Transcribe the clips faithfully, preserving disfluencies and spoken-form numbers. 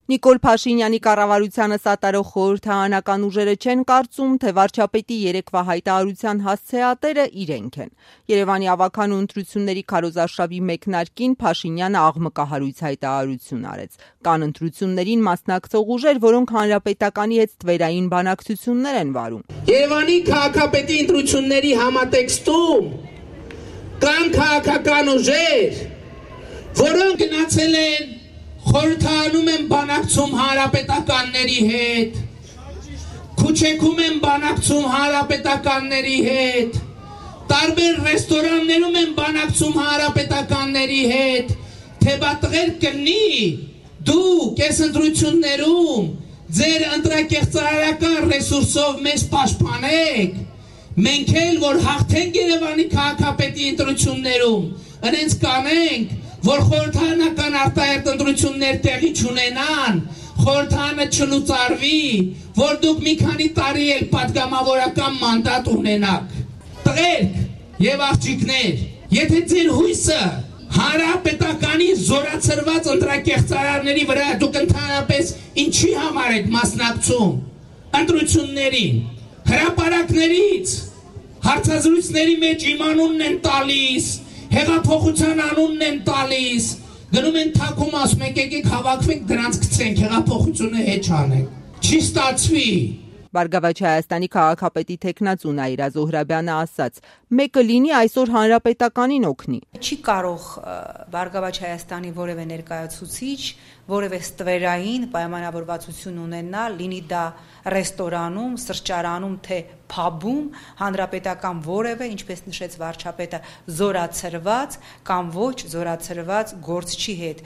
Նիկոլ Փաշինյանի կառավարությանը սատարող խորհրդարանական ուժերը չեն կարծում, թե վարչապետի երեկվա հայտարարության հասցեատերը իրենք են։ Երևանի ավագանու ընտրությունների քարոզարշավի մեկնարկին Փաշինյանը աղմկահարույց հայտարարություն արեց։ Կան ընտրություններին մասնակցող ուժեր, որոնք հանրապետականի հետ ստվերային բանակցություններ են վարում։ Երևանի քաղաքապետի ընտրությունների համատեքստում կան քաղաքական ուժեր, որոնք գնացել են խորհրդարանում են բանակցում հանրապետականների հետ, քուչեքում են բանակցում հանրապետականների հետ, տարբեր ռեստորաններում են բանակցում հանրապետականների հետ, թե բա տղեր կլինի դուք այս ընտրություններում ձեր ընտրակեղծարարական ռեսուրսով մեզ պաշտպանեք, մենք էլ որ հաղթենք Երևանի քաղաքապետի ընտրություններում, ընենց կանենք, որ խորհրդարանական արտահերթ ընտրություններ տեղի չունենան, խորհրդարանը չլուծարվի, որ դուք մի քանի տարի էլ պատգամավորական մանդատ ունենաք։ Տղերք եւ աղջիկներ, եթե ձեր հույսը հանրապետականի զորացրված ընտրակեղծարարների վրա դուք ընդհանրապես ինչի համար եք մասնակցում ընտրություններին, հրապարակներից, հարցազրույցների մեջ իմ անունն են տալիս, հեղափոխության անունն են տալիս, գնում են թաքում ասում եք եկեք հավաքվենք դրանց գցենք, հեղափոխությունը հետ չանենք, չի ստացվի։ Բարգավաճ Հայաստանի քաղաքապետի թեկնածու Նաիրա Զոհրաբյանը ասաց. մեկը լինի այսօր հանրապետականին օգնի։ Չի կարող Բարգավաճ Հայաստանի որևէ ներկայացուցիչ, որևէ ստվերային պայմանավորվածություն ունենալ, լինի դա ռեստորանում, սրճարանում, թե փաբում, հանրապետական որևէ, ինչպես նշեց վարչապետը, զորացրված կամ ոչ զորացրված գործչի հետ։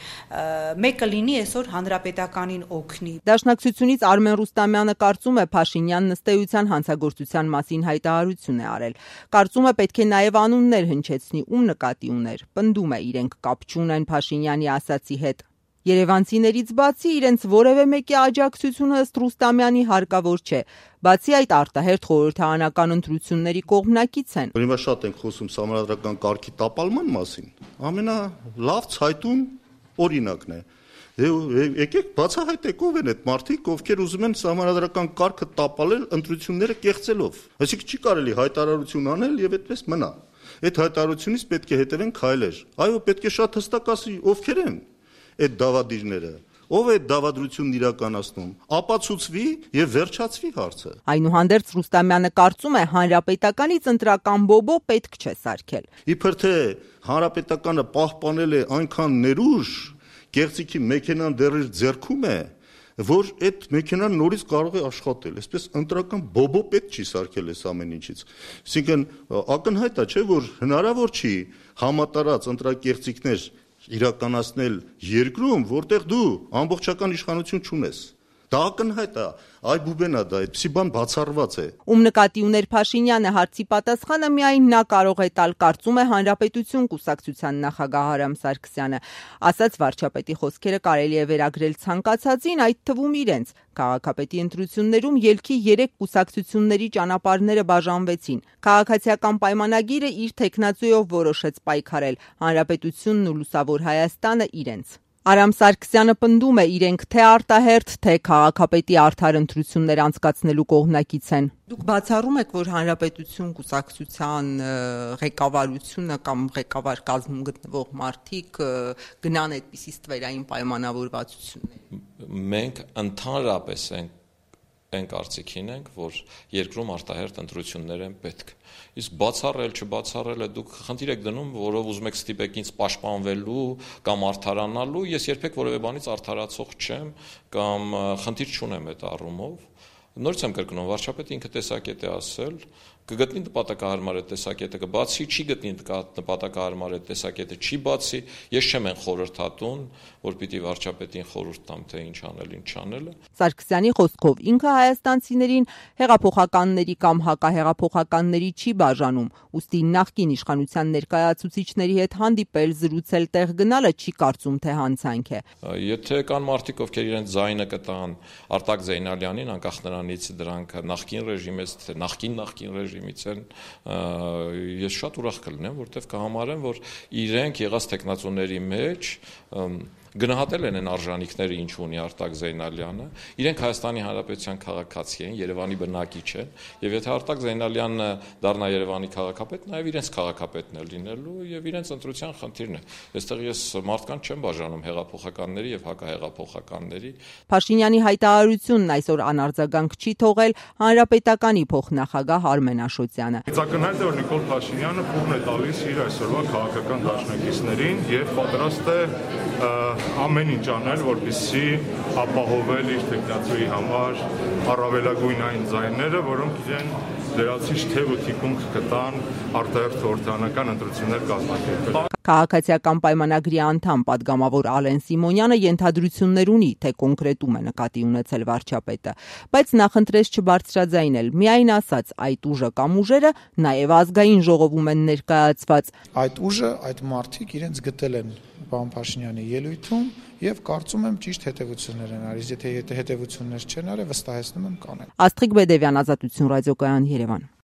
Մեկը լինի այսօր հանրապետականին օգնի։ Դաշնակցությունից Արմեն Ռուստամյանը կարծում է Փաշինյանն ըստ էության հանցագործության մասին հայտարարություն է արել։ Կարծում է պետք է նաև անուններ հնչեցնի, ում նկատի ուներ։ Պնդում է իրենք կապ չունեն Փաշինյանի ասացի հետ։ Երևանցիներից բացի իրենց որևէ մեկի աջակցությունը ըստ Ռուստամյանի հարկավոր չէ։ Բացի այդ արտահերթ խորհրդարանական ընտրությունների կողմնակից են։ Հիմա շատ ենք խոսում սահմանադրական կարգի տապալման մասին։ Ամենալավ ցայտուն օրինակն է։ Եկեք բացահայտեք ով են այդ մարդիկ, ովքեր ուզում են սահմանադրական կարգը տապալել ընտրությունները կեղծելով։ Այսինքն չի կարելի հայտարարություն անել եւ այդպես մնա։ Այդ հայտարարությունից պետք է հետևեն քայլեր։ Այո, պետք է շատ հստակ ասի ովքեր են այդ դավադիրները, ով է դավադրությունն իրականացնում, ապացուցվի եւ վերջացվի հարցը։ Այնուհանդերձ Ռուստամյանը կարծում է հանրապետականից ընտրական բոբո պետք չէ սարքել։ Իբր թե հանրապետականը պահպանել է այնքան ներուժ, գեղեցիկի մեքենան դեռ իր ձեռքում է, որ այդ մեքենան նորից կարող է աշխատել, այսպես ընտրական բոբո պետք չի սարքել այս ամեն ինչից։ Այսինքն ակնհայտ է, չէ, որ հնարավոր չի համատարած ընտրակեղծիքներ իրականացնել երկրում, որտեղ դու ամբողջական իշխանություն չունես։ Դա ակնհայտ է, այ բուբենա դա, այդպիսի բան բացառված է։ Ում նկատի ուներ Փաշինյանը հարցի պատասխանը միայն նա կարող է տալ, կարծում է Հանրապետություն կուսակցության նախագահ Արամ Սարգսյանը։ Ասաց վարչապետի խոսքերը կարելի է վերագրել ցանկացածին, այդ թվում իրենց։ Քաղաքապետի ընտրություններում ելքի երեք կուսակցությունների ճանապարհները բաժանվեցին։ Քաղաքացիական պայմանագիրը իր թեկնածուով որոշեց պայքարել, Հանրապետությունն ու Լուսավոր Հայաստանը իրենց։ Արամ Սարգսյանը պնդում է իրենք թե արտահերթ, թե քաղաքապետի արդար ընտրություններ անցկացնելու կողմնակից են։ Դուք բացառում եք, որ Հանրապետություն կուսակցության ղեկավարությունը կամ ղեկավար կազմում գտնվող մարդիկ գնան այդպիսի ստվերային պայմանավորվածություններ։ Մենք ընդհանրապես ենք այն կարծիքին ենք, որ երկրում արտահերթ ընտրություններ են պետք։ Իսկ բացառել, չբացառելը դուք խնդիր եք դնում, որով ուզում եք ստիպեք ինձ պաշտպանվելու կամ արդարանալու, ես երբեք որևէ բանից արդարացող չեմ կամ խնդիր չունեմ այդ առումով։ Նորից եմ կրկնում, վարչապետը ինքը տեսակետ է ասել, կգտնի նպատակահարմար այդ տեսակետը, կբացի, չի գտնի նպատակահարմար այդ տեսակետը, չի բացի, ես չեմ են խորհրդատուն, որ պիտի վարչապետին խորհուրդ տամ, թե ինչ անել, ինչ անելը։ Սարգսյանի խոսքով ինքը հայաստանցիներին հեղափոխականների կամ հակահեղափոխականների չի բաժանում, ուստի նախկին իշխանության ներկայացուցիչների հետ հանդիպել, զրուցել, տեղ գնալը չի կարծում, թե հանցանք է։ Եթե կան մարդիկ, ովքեր իրենց ձայնը կտան Արտակ Զեյնալյանին, անկախ նրանից դրանք նախկին ռեժիմից, թե նախկին նախկին ռեժիմից են, ես շատ ուրախ կլինեմ, որտեղ կհամարեմ, որ իրենք եղած տեխնացուների մեջ գնահատել են այն արժանինքները, ինչ ունի Արտակ Զեյնալյանը, իրենք Հայաստանի Հանրապետության քաղաքացի են, Երևանի բնակիչ են, եւ եթե Արտակ Զեյնալյանը դառնա Երևանի քաղաքապետ, նաեւ իրենց քաղաքապետն է լինելու եւ իրենց ընտրության խնդիրն է։ Այստեղ ես մարդկանց չեմ բաժանում հեղափոխականների եւ հակահեղափոխականների։ Փաշինյանի հայտարարությունն այսօր անարձագանք չի թողել Հանրապետականի փոխնախագահ Արմեն Աշոտյանը։ Ակնհայտ է, որ Նիկոլ Փաշինյանը փողն է տալիս իր այսօրվա քաղաքական դաշնակիցներին եւ պատրաստ է ամեն ինչ անել, որպեսզի ապահովել իր տեխնացուի համար առավելագույն այն ձայները, որոնք իրեն լրացիչ թեւ ու թիկունք կտան արտահերթ խորհրդարանական ընտրություններ կազմակերպել։ Քաղաքացիական պայմանագրի անդամ պատգամավոր Ալեն Սիմոնյանը ենթադրություններ ունի, թե կոնկրետում է նկատի ունեցել վարչապետը, բայց նախընտրեց չբարձրաձայնել, միայն ասաց այդ ուժը կամ ուժերը նաև ազգային ժողովում են ներկայացված։ Այդ ուժը, այդ մարդիկ իրենց գտել են պարոն Փաշինյանի ելույթում եւ կարծում եմ ճիշտ հետեւություններ են արել, եթե հետեւություններ չեն արել, վստահեցնում եմ կանեն։ Աստղիկ Բեդևյան, Ազատություն ռադիոկայան, Երևան։